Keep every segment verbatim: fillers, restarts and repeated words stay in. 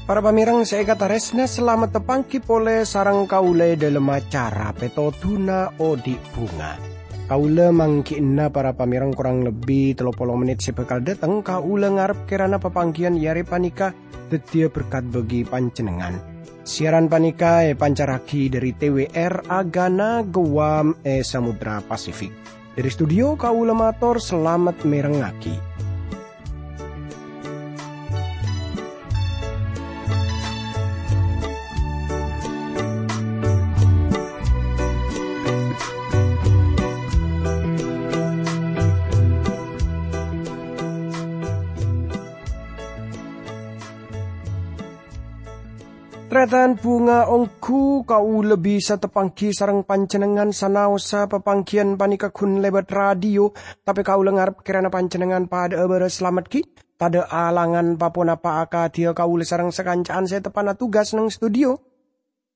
Para pamèrèng sè èkatarèsna, salamet tapangghi polè sareng kaulâ è dhâlem acara Pètodhuna Odi' Bhunga. Kaulâ mangghi'na para pamèrèng korang lebbi tello polo mennit sè bhâkal dâteng, kaulâ ngarep kèrana papangghiyân è arè panèka dhâddhiyâ berkat bagi panjhennengngan. Siaran panèka èpancarraghi dhâri T W R Agana Guam è Samudra Pasifik. Dhâri studio kaulâ mator salamet mèrengngaghi. Tarètan bhunga, ongghu kaulâ bisa tapangghi sareng panjhennengngan sanaossa papangghiyân panèka ghun lèbât radio, tapè kaulâ ngarep kèrana panjhennengngan padâ'â bârâs salamet ghi', tadâ' alangan pa-ponapa akadhiyâ kaulâ sareng sakanca'an sè teppa'na tugas neng studio.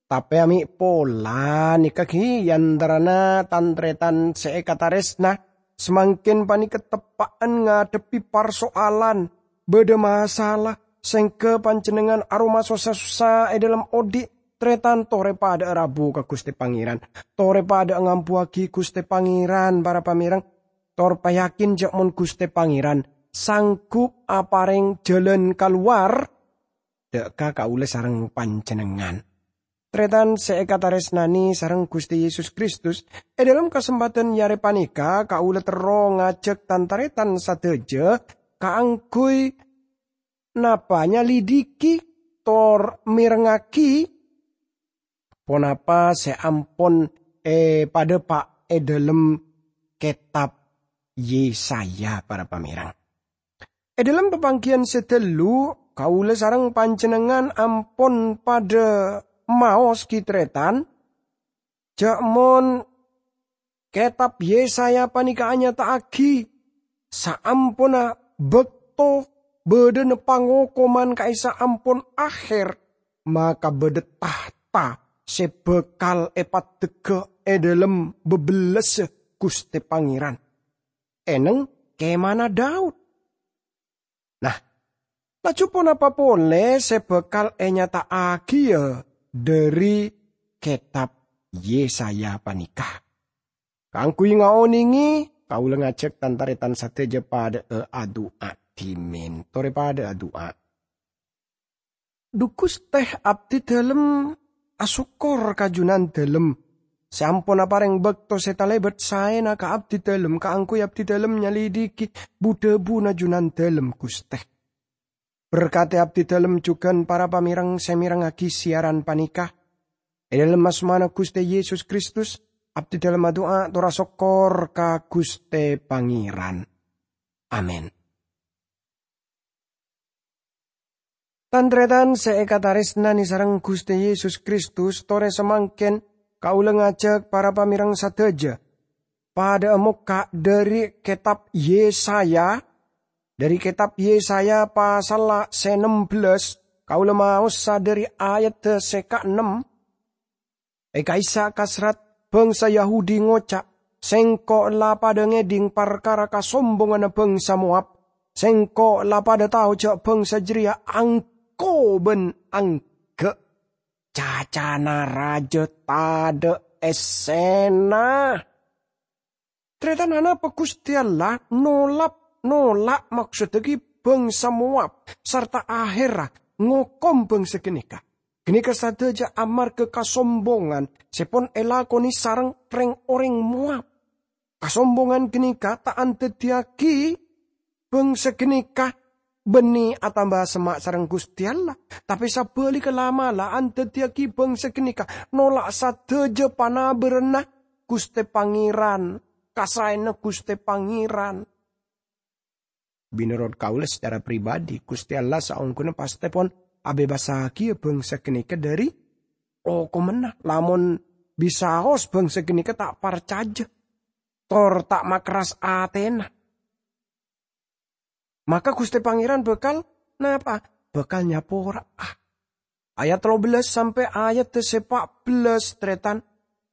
Tapè amè' pola nèka ghi' è antarana tan-tarètan sè èkatarèsna, samangkèn panèka teppa'an ngadhebbhi parsoalan, bâdâ masalah, sèngghâ panjhennengngan aroma sossa-sossa è dhâlem odi', tarètan torè padâ'â rabu ka Ghustè Pangèran. Torè padâ'â ngambuwâghi Ghustè Pangèran, para pamèrèng. Tor payakin jhâ' mon Ghustè Pangèran sanggup aparèng jhâlân kalowar dâ' ka kaulâ sareng panjhennengngan. Tarètan sè èkatarèsnanè sareng Ghustè Yesus Kristus, è dhâlem kasempadhân è arè panèka kaulâ terro ngajhâk tan-tarètan sadhâjâ kaangghuy napa nyalidiki tor mèrengngaghi ponapa sè ampon èpadhâpa' è dhâlem kètab Yesaya, para pamèrèng. È dhâlem papangghiyân sè ghâllu, kaulâ sareng panjhennengngan ampon padâ maos ghi' tarètan, jhâ' mon kètab Yesaya panèka anyata'aghi saamponna bâkto bâdâna pangokoman ka'issa' ampon ahèr, maka bâdâ tahta sè bhâkal èpaddhegghâ è dhâlem bâbellâssa Ghustè Pangèran, èneng kèmana Daud. Nah, laju ponapa polè sè bhâkal ènyata'aghiyâ dhâri kètab Yesaya panèka? Kaangghuy ngaonèngè, kaulâ ngajhâk tan-tarètan sadhâjâ padâ'â adu'a dhimèn. Torè padâ'â adu'a. Dhu Ghustè, abdhi dhâlem asokkor ka Jhunandhâlem, sè ampon aparèng bâkto sè talèbât saèna ka abdhi dhâlem kaangghuy abdhi dhâlem nyalidiki bu-dhâbuna Jhunandhâlem, Ghustè. Berkadhi abdhi dhâlem jhughân para pamèrèng sè mèrengngaghi siaran panèka. È dhâlem asmana Ghustè Yesus Kristus, abdhi dhâlem adu'a tor asokkor ka Ghustè Pangèran. Amin. Tan-tarètan sè èkatarèsnanè sareng Ghustè Yesus Kristus, torè samangkèn kaulâ ngajhâk para pamèrèng sadhâjâ padâ'â mokka' dhâri kètab Yesaya, dhâri kètab Yesaya pasalla sè ennem bellâs, kaulâ maossa dhâri ayadda sè kaennem. È ka'issa' kasrat, bhângsa Yahudi ngoca', "Sèngko' la padâ ngèdhing parkara kasombonganna bhângsa Moab. Sèngko' la padâ tao jhâ' bhângsa jârèya angko bân angghâ'. Cacana rajâ tadâ' èssèna." Tarètan, anapa Ghustè Allah nolap-, nola' maksodda ghi' bhângsa Moab, sarta ahèrra ngokom bhângsa ghânèka? Ghânèka sadhâjâ amarghâ kasombongan sè pon èlakonè sareng rèng-orèng Moab. Kasombongan ghânèka ta' andhâddhiyâghi bhângsa ghânèka bânnè atamba semma' sareng Ghustè Allah, tapè sabhâligghâ la'-mala' andhâddhiyâghi bhângsa ghânèka nola' sadhâjâ panabârânna Ghustè Pangèran, kasaèna Ghustè Pangèran. Mènorot kaulâ sacara pribadi, Ghustè Allah saongghuna pastè pon abhebassaghiyâ bhângsa ghânèka dhâri okomanna, lamon bisaos bhângsa ghânèka ta' parcajâ, tor ta' makerras atèna. Maka Ghustè Pangèran bhâkal napa? Bhâkal nyapora'a. ayat tello bellas sampè' ayat sè pa' bellas, tarètan.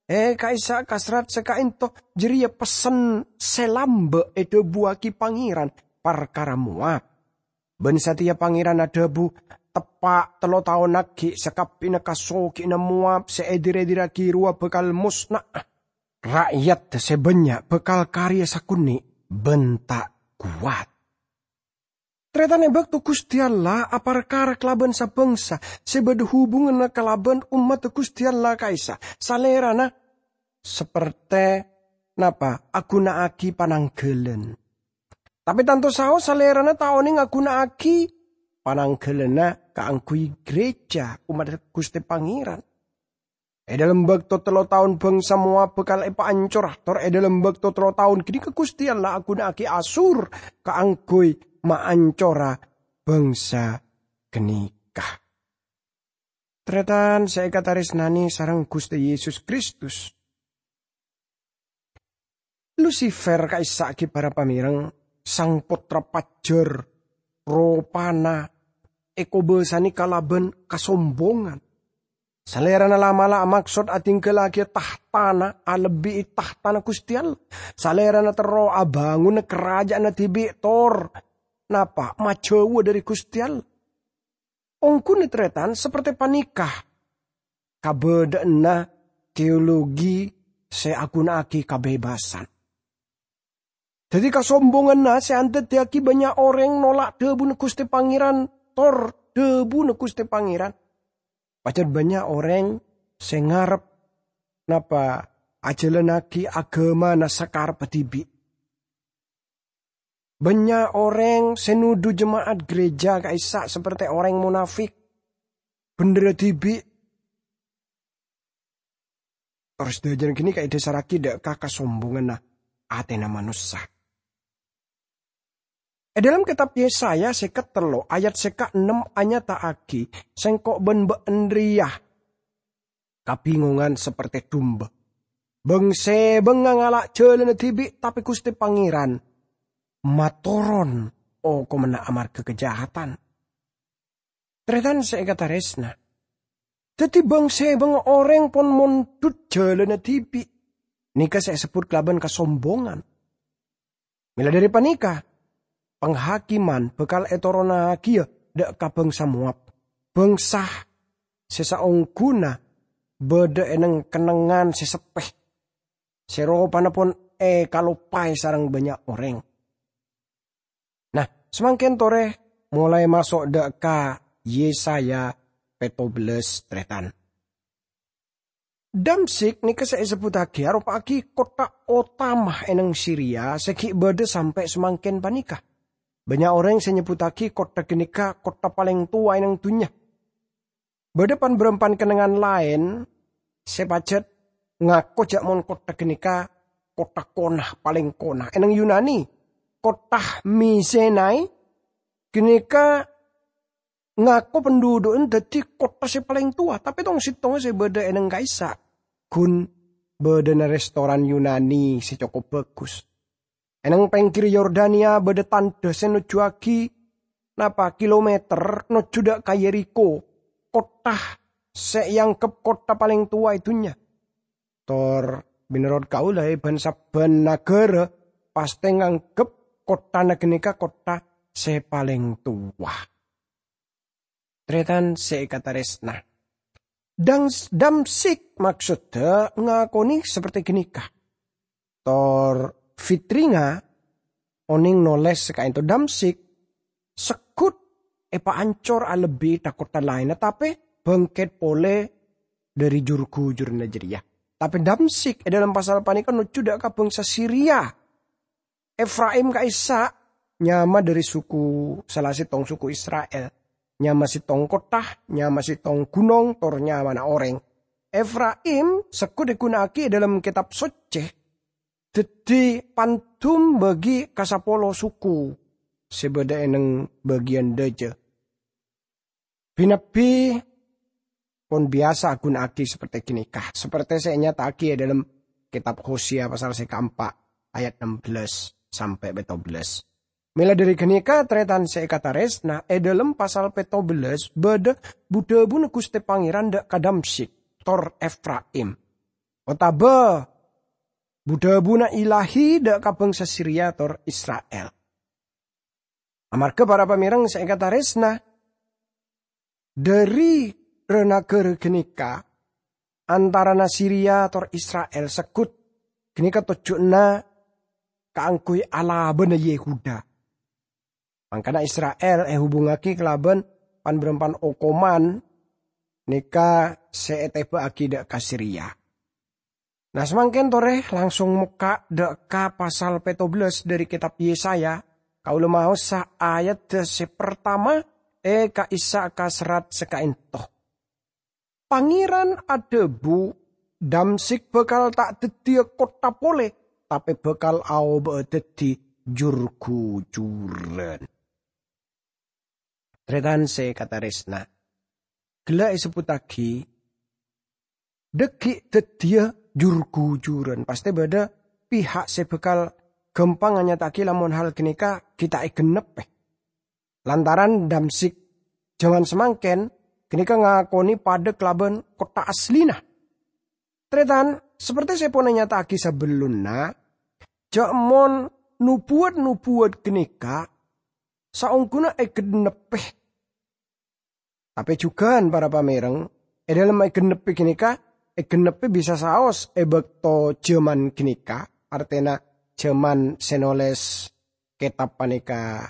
Eh, ka'issa' ka serrat sè ka'ènto, jârèya pessen sè lambâ' èdhâbuwâghi Pangèran parkara Moab. Bân satèya Pangèran adhâbu, "Teppa' tello taon aghi' sakabbhiyânna kasogi'anna Moab sè èdir-èdirraghi rowa bhâkal mosna'a. Ra'yat sè bânnya' bhâkal karè sakonè' bân ta' kowat." Tarètan, è bâkto Ghustè Allah aparkara kalabân sa-bângsa sè bâdâ hubunganna kalabân ommaddhâ Ghustè Allah ka'issa', Salèrana sapertè napa? Aghuna'aghi panangghâlân. Tapè tanto saos Salèrana ta' onèng aghuna'aghi panangghâlânna kaangghuy gereja ommaddhâ Ghustè Pangèran. È dhâlem bâkto tello taon bângsa Moab bhâkal èpaancora, tor è dhâlem bâkto tello taon ghânèka Ghustè Allah aghuna'aghi Asur kaangghuy maancora bângsa ghânèka. Tarètan sè èkatarèsnanè sareng Ghustè Yesus Kristus. Lusifer ka'issa' ghi' para pamèreng, sang pottra pajhâr, ropana èkobâsanè kalabân kasombongan. Salèrana la'-mala' amaksod adhingghâllaghi tahtana alebbi'i tahtana Ghustè Allah. Salèrana terro abângona karaja'anna dhibi' tor napa? Majhâuwâ dhâri Ghustè Allah. Ongghuna tarètan sapertè panèka kabâdâ'ânna teologi sè aghuna'aghi kabebâsan. Dhâddhi, kasombonganna sè andhâddhiyâghi bânnya' orèng nolak dhâbuna Ghustè Pangèran, tor dhâbuna Ghustè Pangèran. Pajhât bânnya' orèng sè ngarep napa ajhâlannaghi aghâmana sakarebbhâ dhibi'. Bânnya' orèng sè nodhu jema'at gereja ka'issa' sapertè orèng monafik, bhendherra dhibi'. Tor sadhâjâna ghânèka èdhâsarraghi dhâ' ka kasombonganna atèna manossa. È dhâlem kètab Yesaya sèket tello' ayat sèka ennem anyata'aghi, "Sèngko' bân bâ'ân rèya kabingongan sapertè dumba. Bâng-sèbângnga ngala' jhâlânna dhibi', tapè Ghustè Pangèran matoron okomanna amarghâ kajahadan." Tarètan sè èkatarèsna, dhâddhi bâng-sèbângnga orèng pon mondhut jhâlânna dhibi'. Nèka sè èsebbhut kalabân kasombongan. Mèla dhâri panèka, panghakiman bhâkal ètoronnaghiyâ dhâ' ka bângsa Moab, bângsa sè saongghuna bâdâ è neng-kennengngan sè seppè, sè ropana pon èkaloppaè sareng bânnya' orèng. Nah, samangkèn torè molaè maso' dhâ' ka Yesaya pètto bellas, tarètan. Damsyik nèka sè èsebbhuttaghi aropa'aghi kottha otama è neng Siria sè ghi' bâdâ sampè' samangkèn panèka. Bânnya' orèng sè nyebbhuttaghi kottha ghânèka kottha palèng towa è neng dhunnya. Bâdâ pan-bârâmpan kennengngan laèn sè pajhât ngako jhâ' mon kottha ghânèka kottha kona palèng kona. È neng Yunani, kottha Misenai ghânèka ngako pandhudhu'na dhâddhi kottha sè palèng towa, tapè tong-settongnga sè bâdâ è neng ka'issa' ghun bâdâna restoran Yunani sè cokop bhâghus. È neng pèngghir Yordania bâdâ tandhâ sè nojjhuwâghi napa kilometer nojjhu dhâ' ka Yerikho, kottha sè èangghep kottha palèng towa è dhunnya. Tor, mènorot kaulâ, è bân-sabbhân naghârâ pastè nganggep kotthana ghânèka kottha sè palèng towa. Tarètan sè èkatarèsna. Dang-, Damsyik maksoddhâ ngakonè sapertè ghânèka. Tor Fitringa onèng nolès ka'ènto Damsyik segghut èpaancor alebbi dâ' kottha laènna, tapè bângkèt polè dhâri jur-ghujurrâ jârèya. Tapè Damsyik è dhâlem pasal panèka nojjhu dhâ' ka bângsa Siria. Efraim ka'issa' nyama dhâri suku, sala settong suku Isra'il. Nyama settong kottha, nyama settong ghunong, tor nyamana orèng. Efraim segghut èghuna'aghi è dhâlem Kètab Soccè dhâddhi pandum bâgi ka sapolo suku sè bâdâ è neng bâgiyân dhâjâ. Bi-nabbi pon biyasa aghuna'aghi sapertè ghânèka, sapertè sè ènyata'aghi è dhâlem Kètab Hosea pasal sè kaempa' ayat ennem bellas sampè' pètto bellas. Mèla dhâri ghânèka, tarètan sè èkatarèsna, è dhâlem pasal pètto bellâs bâdâ bu-dhâbuna Ghustè Pangèran dâ' ka Damsyik, tor Efraim, otabâ bu-dhâbuna Ilahi dâ' ka bhângsa Siria tor Isra'il. Amarghâ para pamèreng sè èkatarèsna, dhâri ra-nagara ghânèka, antarana Siria tor Isra'il segghut, ghânèka tojjhuna kaangghuy alabâna Yehuda. Mangkana Isra'il èhubungngaghi kalabân pan-bârâmpan okoman nèka sè ètèbâ'âghi dâ' ka Siria. Nah, samangkèn torè langsung mokka' dâ' ka pasal pètto bellâs dhâri kètab Yesaya, kaulâ maosa ayadda sè partama è ka'issa' ka serrat sè ka'ènto. Pangèran adhâbu, "Damsyik bhâkal ta' dhâddhiyâ kottha polè, tapè bhâkal aobâ'â dhâddhi jur-ghujuran." Tarètan sè katarèsna, ghellâ' èsebbhuttaghi, dhâggi' dhâddhiyâ jur-ghujuran. Pastè bâdâ pihak sè bhâkal ghâmpang anyata'aghi lamon hal ghânèka ghi' ta' ègennebbhi. Lantaran Damsyik jhâman samangkèn ghânèka ngakonè padâ kalabân kottha asllina. Tarètan, saperti sè pon ènyata'aghi sabellunna, jhâ' mon nobuwat-nobuwat ghânèka saongghuna ègennebbhi. Tapè jhughân para pamèreng, è dhâlem ègennebbhi ghânèka, ègennebbhi bisa saos è bâkto jhâman ghânèka, artèna jhâman sè nolès kètab panèka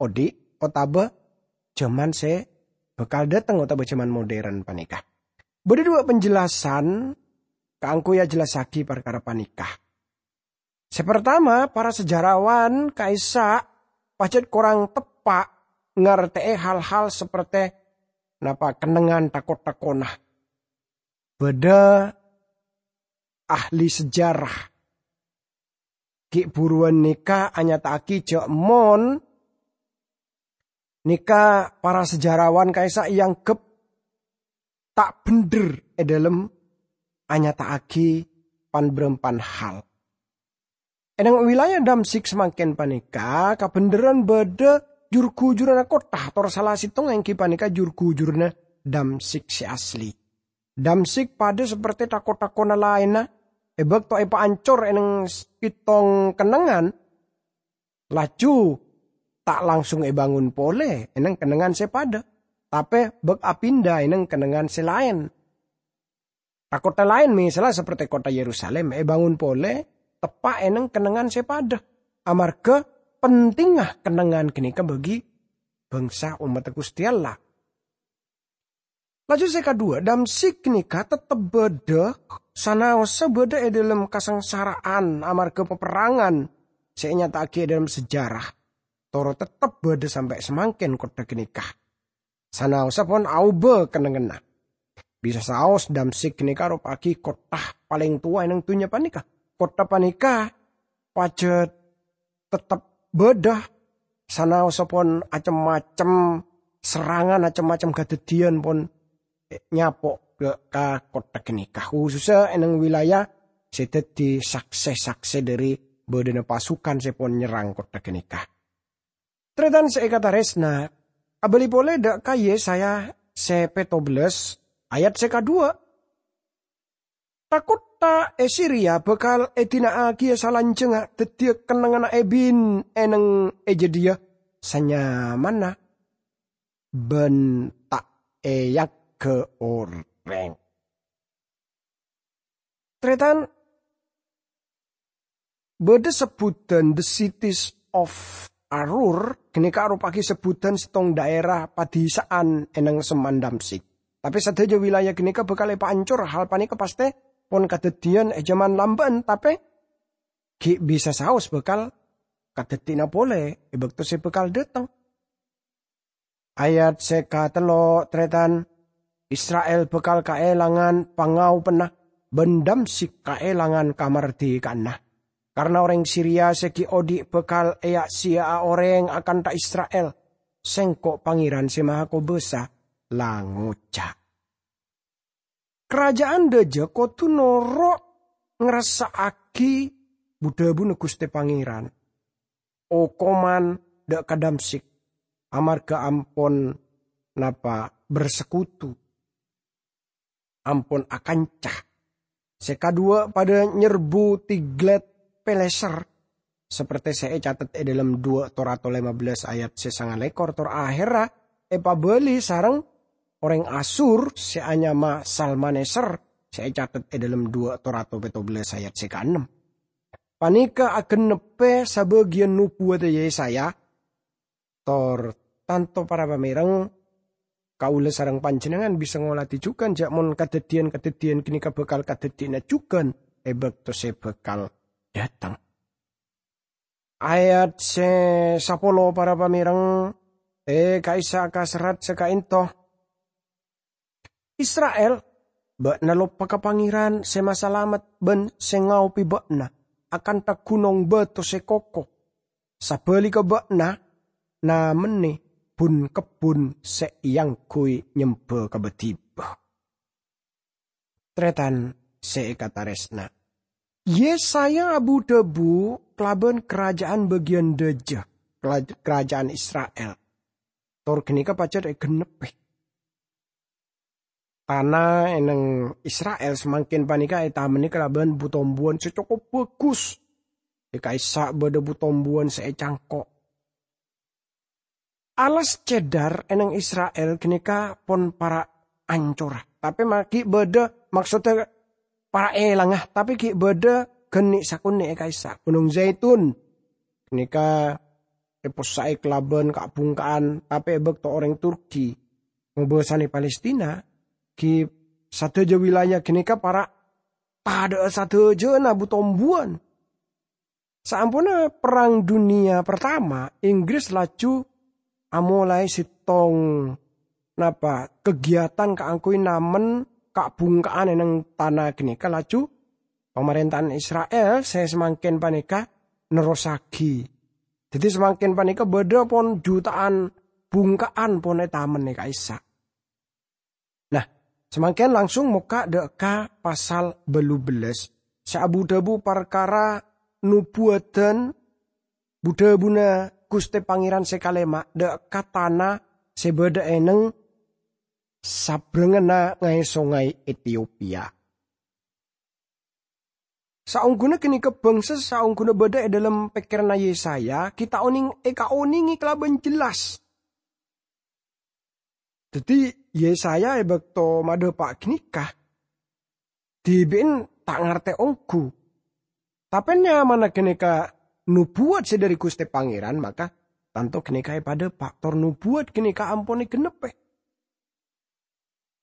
odi', otabâ jhâman sè bhâkal dhâteng otabâ jhâman modern panèka. Bâdâ duwâ' penjelasan kaangghuy ajhellassaghi parkara panèka. Sè partama, para sejarawan ka'issa' pajhât korang teppa' ngartè'è hal-hal saperti napa kennengngan tako-takona. Bâdâ ahli sejarah ghi' buruwân nèka anyata'aghi jhâ' mon nèka para sejarawan ka'issa' èangghep ta' bhendher è dhâlem anyata'aghi pan-bârâmpan hal. È neng wilayah Damsyik samangkèn panèka kabhendherran bâdâ jur-ghujuranna kottha, tor sala sèttongnga èngghi panèka jur-ghujuranna Damsyik sè asli. Damsyik padâ saperti tako-takona laènna, è bâkto èpaancor è neng pèttong kennengngan, laju ta' langsung èbângon polè è neng kennengngan sè padâ, tapè bâk apinda è neng kennengngan sè laèn. Ka kottha laèn, mèsalla saperti kottha Yerusalim, èbângon polè teppa' è neng kennengngan sè padâ, amarghâ pentingnga kennengngan ghânèka bagi bangsa ommaddhâ Ghustè Allah. Laju sè kaduwâ, Damsyik ghânèka tettep bâdâ, sanaossa bâdâ è dhâlem kasangsara'an amarghâ paperrangan sè ènyata'aghi è dhâlem sejarah. Tor tettep bâdâ sampè' samangkèn kottha ghânèka. Sanaossa pon aobâ kennengnganna. Bisa saos Damsyik ghânèka aropa'aghi kottha palèng towa è neng dhunnya panèka. Kottha panèka pajhât tettep bâdâ, sanaossa pon acem-macem serrangan, acem-macem kadhâddhiyân pon nyapo' ka, ka kottha ghânèka, khusussa è neng wilayah sè dhâddhi saksè-saksè dhâri bâdâna pasukan sè pon nyerrang kottha ghânèka. Tarètan sè èkatarèsna, abâli polè dâ' ka Yesaya sè pètto bellâs, ayat sè kaduwâ. Tha-kottha è Siria bhâkal èdina'aghiyâ salanjhângnga dhâddhiyâ kennengnganna èbin è neng è jâdiyâ sanyamanna bân ta' èyangghâ orèng. Tarètan, bâdâ sebbhudhân The Cities of Aroer, ghânèka aropa'aghi sebbhudhân sèttong dhaèra padhisa'an è neng semman Damsyik. Tapè sadhâjâ wilayah ghânèka bhâkal èpaancor, hal panèka pastè pon kadhâddhiyân è jhâman lambâ'ân, tapè ghi' bisa saos bhâkal kadhâddhina polè è bâkto sè bhâkal dhâteng. Ayat sè katello, tarètan, Isra'il bhâkal kaèlangan pangaopanna, bân Damsyik kaèlangan kamardhika'anna. Karna orèng Siria sè ghi' odi' bhâkal èya'-sèya'a orèng akantha Isra'il. Sèngko' Pangèran Sè Mahakobâsa la ngoca'. Karaja'an dhâjâ kodhu noro' ngrassa'aghi bu-dhâbuna Ghustè Pangèran. Okoman dâ' ka Damsyik, amarghâ ampon napa bersekutu, ampon akanca. Sè kaduwâ' padâ nyerbu Tiglat-Pileser, sapertè sè ècatet è dâlem duwâ' Torato lèma bellâs ayat sè sangalèkor, tor ahèrra èpabâli sareng orèng Asur sè anyama Salmaneser sè ècatet è dâlem duwâ' Torato pètto bellâs ayat sè kaennem. Panèka agennebbhi sabâgiyân nobuwâddhâ Yesaya, tor tanto para pamèreng, kaulâ sareng panjhennengngan bisa ngolatè jhughân jhâ' mon kadhâddhiyân-kadhâddhiyân ghânèka bhâkal kadhâddhiyâna jhughân è bâkto sè bhâkal dâteng. Ayat sè sapolo para pamèreng, è ka'issa' ka serrat sè ka'ènto. Isra'il, bâ'na loppa ka Pangèran sè masalamet bân sè ngaobhi bâ'na, akantha ghunong bâto sè koko. Sabhâligghâ bâ'na namennè bun-kebbhun sè èangghuy nyembhâ ka bâdhibâ. Tarètan sè èkatarèsna, Yesaya abu-dhâbu kalabân karaja'an bâgiyân dâjâ, kala-, karaja'an Isra'il. Tor ghânèka pajhât ègennebbhi. Tana è nèng Isra'il samangkèn panèka ètamennè kalabân bu-tombuwân sè cokop bhâghus. È ka'issa' bâdâ bu-tombuwân sè ècangko'. Alas cedar è nèng Isra'il ghânèka pon para' ancora. Tapè ma-, ghi' bâdâ, maksodda para' èlanga, tapè ghi' bâdâ ghânni' sakonè' è ka'issa'. Ghunong Zaitun ghânèka èpossa'è kalabân ka'-bhungka'an, tapè è bâkto orèng Turki ngobâsanè Palestina, ghi' sadhâjâ wilayah ghânèka para' tadhâ'â sadhâjâna bu-tombuwân. Saamponna Perrang Dunia Pertama, Inggris laju amolaè sèttong, napa, kegiatan kaangghuy namen ka'-bhungka'an è nèng tana ghânèka, laju pamarènta'an Isra'il sè samangkèn panèka nerrossaghi. Dhâddhi, samangkèn panèka bâdâ pon juta'an bhungka'an pon ètamen è ka'issa'. Nah, samangkèn langsung mokka' dâ' ka pasal bâllu bellâs, sè abu-dhâbu parkara nobuwâddhân, bu-dhâbuna Ghustè Pangèran sè kalèma' dâ' ka tana sè bâdâ è nèng sabrengngana ngaè songay Etiopia. Saongghuna ghânèka bhângsa saongghuna bâdâ è dâlem pèkkèranna Yesaya, ghi' ta' onèng èkaonèngè kalabân jelas. Dhâddhi, Yesaya è bâkto madhâpa' ghânèka, dhibi'en ta' ngartè ongghu. Tapè nyamana ghânèka nobuwât sè dâri Ghustè Pangèran, maka tanto ghânèka èpadhâpa', tor nobuwât ghânèka ampon ègennebbhi.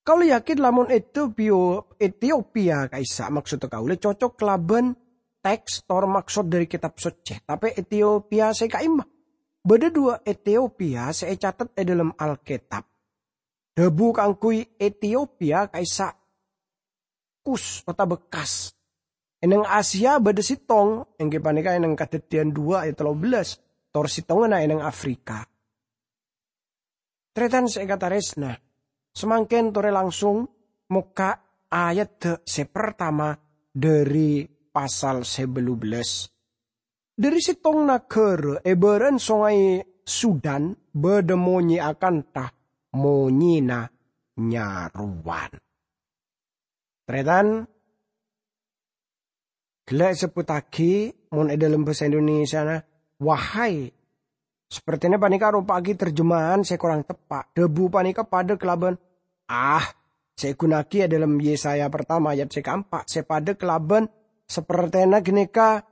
Kaulâ yakin lamon Etiopiyo-, Etiopia ka'issa', maksodda kaulâ, cocok kalabân teks tor maksod dâri Kètab Soccè. Tapè Etiopia sè ka'imma. Bâdâ duwâ' Etiopia sè ècatet è dâlem Alkètab. Dhâbu kaangghuy Etiopia ka'issa' Kus otabâ Kas. È nèng Asia bâdâ sèttong, èngghi panèka è nèng Kadhâddhiyân duwâ' ayat tello bellâs, tor sèttonganna è nèng Afrika. Tarètan sè èkatarèsna, samangkèn torè langsung mokka' ayadda sè partama dâri pasal sè bâllu bellâs. Dâri sèttong naghârâ è bârâ'ân Songay Sudan bâdâ monyè akantha monyèna nyarowan. Tarètan, ghellâ' èsebbhuttaghi, mon è dâlem bhâsa Indonesiana, wahai. Sapertèna panèka aropa'aghi terjemahan sè korang teppa'. Dhâbu panèka padâ kalabân ah sè èghuna'aghi è dâlem Yesaya partama ayat sè kaempa', sè padâ kalabân sapertèna ghânèka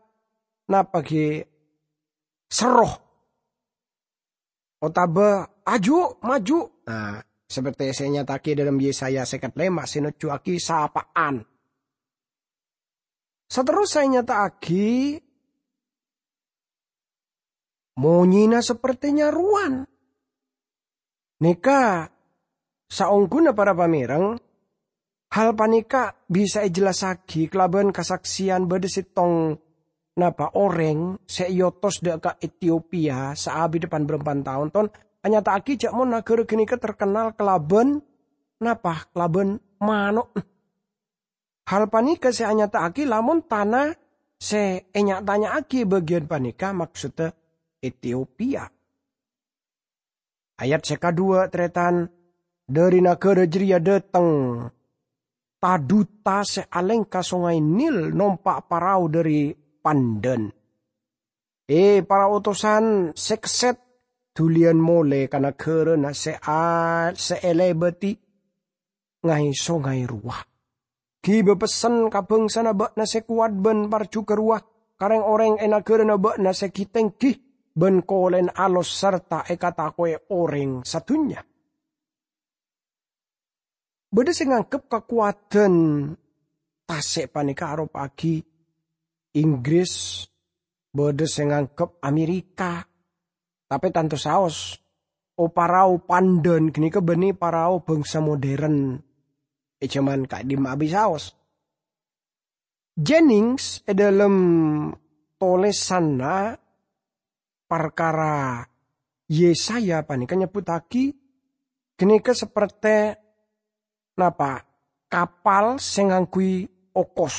napa ghi serro otabâ aju, maju. Nah, sapertè sè ènyata'aghi è dâlem Yesaya sèket lèma' sè nojjuwaghi sapa'an. Saterrossa ènyata'aghi monyèna sapertè nyarowan. Nèka saongghuna para pamèreng, hal panèka bisa èjellassaghi kalabân kasaksèyan bâdâ sèttong napa orèng sè èotos dâ' ka Etiopia saabidda pan-bârâmpan taon, ton anyata'aghi jâ' mon naghârâ ghânèka terkennal kalabân napa? Kalabân mano'na. Hal panèka sè anyata'aghi lamon tana sè ènya'-tanya'aghi bâgiyân panèka maksodda Etiopia. Ayat sè kadhuwâ', tarètan, dhâri naghârâ jârèya dâteng tadhuta sè alèngka Songay Nil nompa' parao dhâri Pandan. È, para otosan sè kèsèt, dhuliyân molè ka naghârâna sè a-, sè èlèbâdhi ngay-songay rowa. Ghibâ pessen ka bhângsana bâ'na sè kowat bân parjhughâ rowa, ka rèng-orèng è naghârâna bâ'na sè ghi-tèngghi bân kolèna alos sarta èkatako'è orèng sadhunnya. Bâdâ sè nganggep kakowadhân tasè' panèka aropa'aghi Inggris, bâdâ sè nganggep Amerika. Tapè tanto saos, o-, parao Pandan ghânèka bânnè parao bhângsa modern è jhâman ka'dimma abisaos. Jennings è dhâlem tolèsanna parkara Yesaya panèka nyebbhuttaghi ghânèka sapertè napa, kapal sè ngangghuy okos.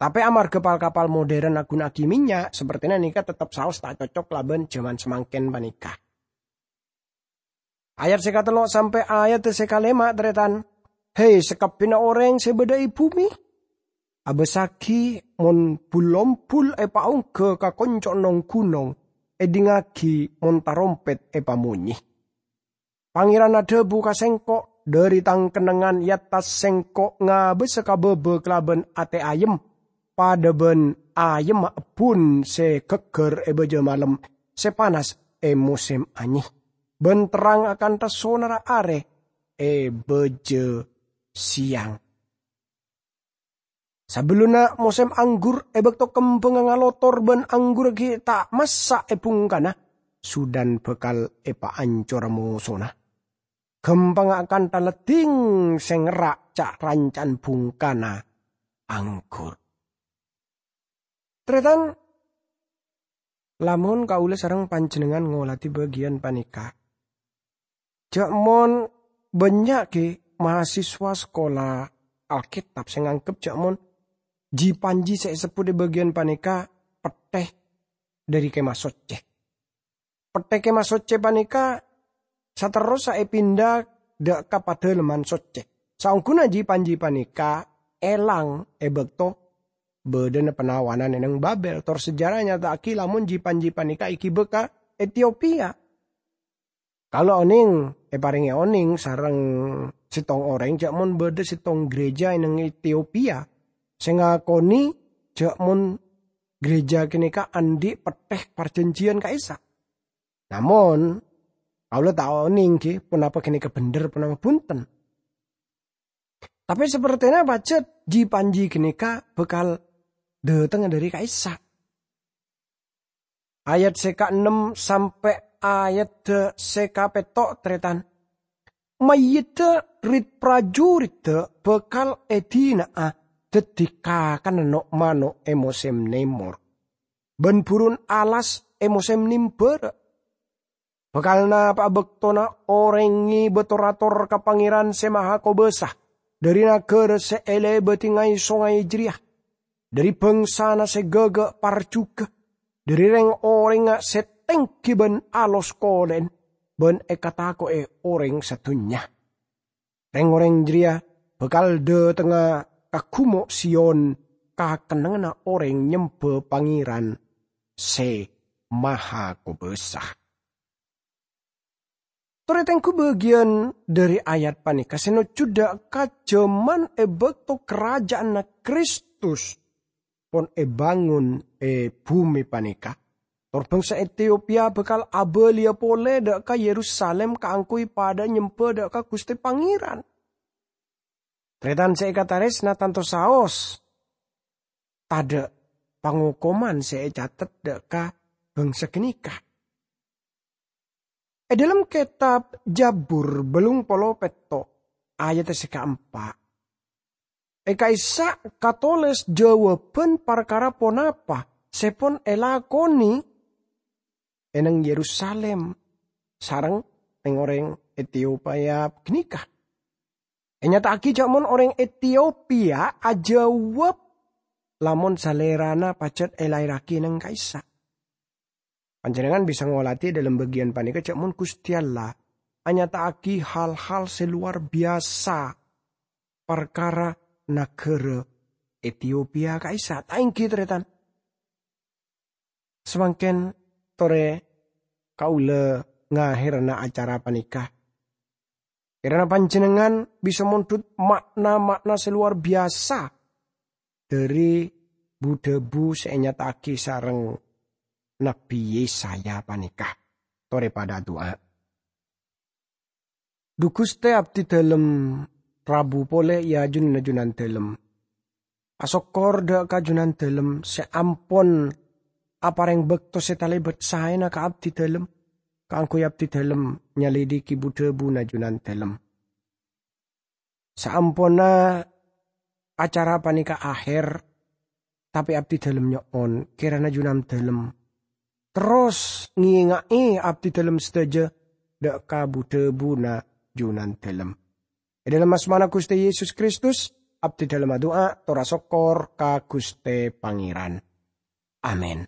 Tapè amarghâ pal-kapal modern aghuna'aghi mènnya', sapertèna nèka teptep saos ta' cocok labân jhâman samangkèn panèka. Ayat sè katello' sampè' ayat sè kalèma', tarètan. Hè, sakabbhiyânna orèng sè bâdâ è bhumè, abâssaghi mon bul-ombul èpaongghâ ka konco' nong-ghunong, èdingngaghi mon tarompèt èpamonyè. Pangèran adhâbu ka sèngko', "Dhâri tang kennengngan è attas sèngko' ngabâsa ka bâbâ kalabân atè ayem, padâ bân ayemma ebbhun sè ghâgghâr è bâjâ malem, sè panas è mosèm anyè, bân terrang akantha sonarra arè è bâjâ sèyang." Sabellunna mosèm anggur, è bâkto kembhângnga ngalotor bân anggurra ghi' ta' massa' è bhungkana, Sudan bhâkal èpaancora mosona. Ghâmpangnga akantha leddhing sè ngerra' ca'-ranca'an bhungkana anggur. Tarètan, lamon kaulâ sareng panjhennengngan ngoladhi bâgiyân panèka, jhâ' mon bânnya' ghi mahasiswa sakola Alkètab sè nganggep jhâ' mon ji-panji sè èsebbhut è bâgiyân panèka pettè dhâri Kèmah Soccè. Pettè Kèmah Soccè panèka saterrossa èpinda dâ' ka Padâlemman Soccè. Saongghuna ji-panji panèka èlang è bâkto bâdâna panawanan è neng Babel. Tor sejarah nyata'aghi lamon ji-panji panèka èghibâ ka Etiopia. Kaulâ onèng, èparèngè onèng sareng sèttong orèng jhâ' mon bâdâ sèttong gereja è neng Etiopia sè ngakonè jhâ' mon gereja ghânèka andi' pettè parjhânjhiyân ka'issa'. Namong, kaulâ ta' onèng ghi ponapa ghânèka bhendher, ponapa bhunten. Tapè sapertèna pajhât ji-panji ghânèka bhâkal dâtengnga dhâri ka'issa'. Ayat sè kaennem sampè' ayat sè kapètto', tarètan. Mayyidda rit-prajuriddhâ bhâkal èdina'a dhâddhi kakanna no'-mano' è mosèm nèmor, bân burun alas è mosèm nèmbârâ. Bhâkal napa'a bâktona orèng ngibâ tor-ator ka Pangèran Sè Mahakobâsa dhâri naghârâ sè èlèbâdhi ngay-songay jârèya, dhâri bhângsana sè ghâghâ' parjhughâ, dhâri rèng-orèngnga sè tèngghi bân alos kolèn, bân èkatako'è orèng sadhunnya. Rèng-orèng jârèya bhâkal dâtengnga ka Ghumo' Sion, ka kennengnganna orèng nyembâ Pangèran Sè Mahakobâsa. Torè tengghu bâgiyân dhâri ayat panèka sè nojjhudhâ ka jhâman è bâkto Karajâânna Kristus pon èbângon è bhumè panèka, tor bhângsa Etiopia bhâkal abâliyâ polè dâ' ka Yerusalim kaangghuy padhâ nyembâ dâ' ka Ghustè Pangèran. Tarètan sè èkatarèsna, tanto saos tadhâ' pangokoman sè ècatet dâ' ka bhângsa ghânèka. È dhâlem kètab Jabur bâllung polo pètto', ayat sè kaempa', è ka'issa' katolès jâwâbhân parkara ponapa sè pon èlakonè è neng Yerusalim sareng rèng-orèng Etiopia ghânèka. Ènyata'aghi jhâ' mon orèng Etiopia ajâwâb lamon salèrana pajhât èlaèrraghi neng ka'issa'. Panjhennengngan bisa ngolatè è dhâlem bâgiyân panèka jhâ' mon Ghustè Allah anyata'aghi hal-hal sè lowar biyasa parkara naghârâ Etiopia ka'issa', ta' èngghi, tarètan? Samangkèn torè kaulâ ngahèrana acara panèka. Kèrana panjhennengngan bisa mondhut ma'na-ma'na sè lowar biyasa dhâri bu-dhâbu sè ènyata'aghi sareng Nabbhi Yesaya panèka. Torè padâ adu'a. Dhu Ghustè, abdhi dhâlem rabu polè è ajunanna Jhunandhâlem. Asokkor dhâ' ka Jhunandhâlem sè ampon aparèng bâkto sè talèbât saèna ka abdhi dhâlem, kaangghuy abdhi dhâlem nyalidiki bu-dhâbuna Jhunandhâlem. Saamponna acara panèka ahèr, tapè abdhi dhâlem nyo'on kèrana Jhunandhâlem terros ngènga'è abdhi dhâlem sadhâjâ dhâ' ka bu-dhâbuna Jhunandhâlem. È dhâlem asmana Ghustè Yesus Kristus, abdhi dhâlem adu'a tor asokkor ka Ghustè Pangèran. Amin.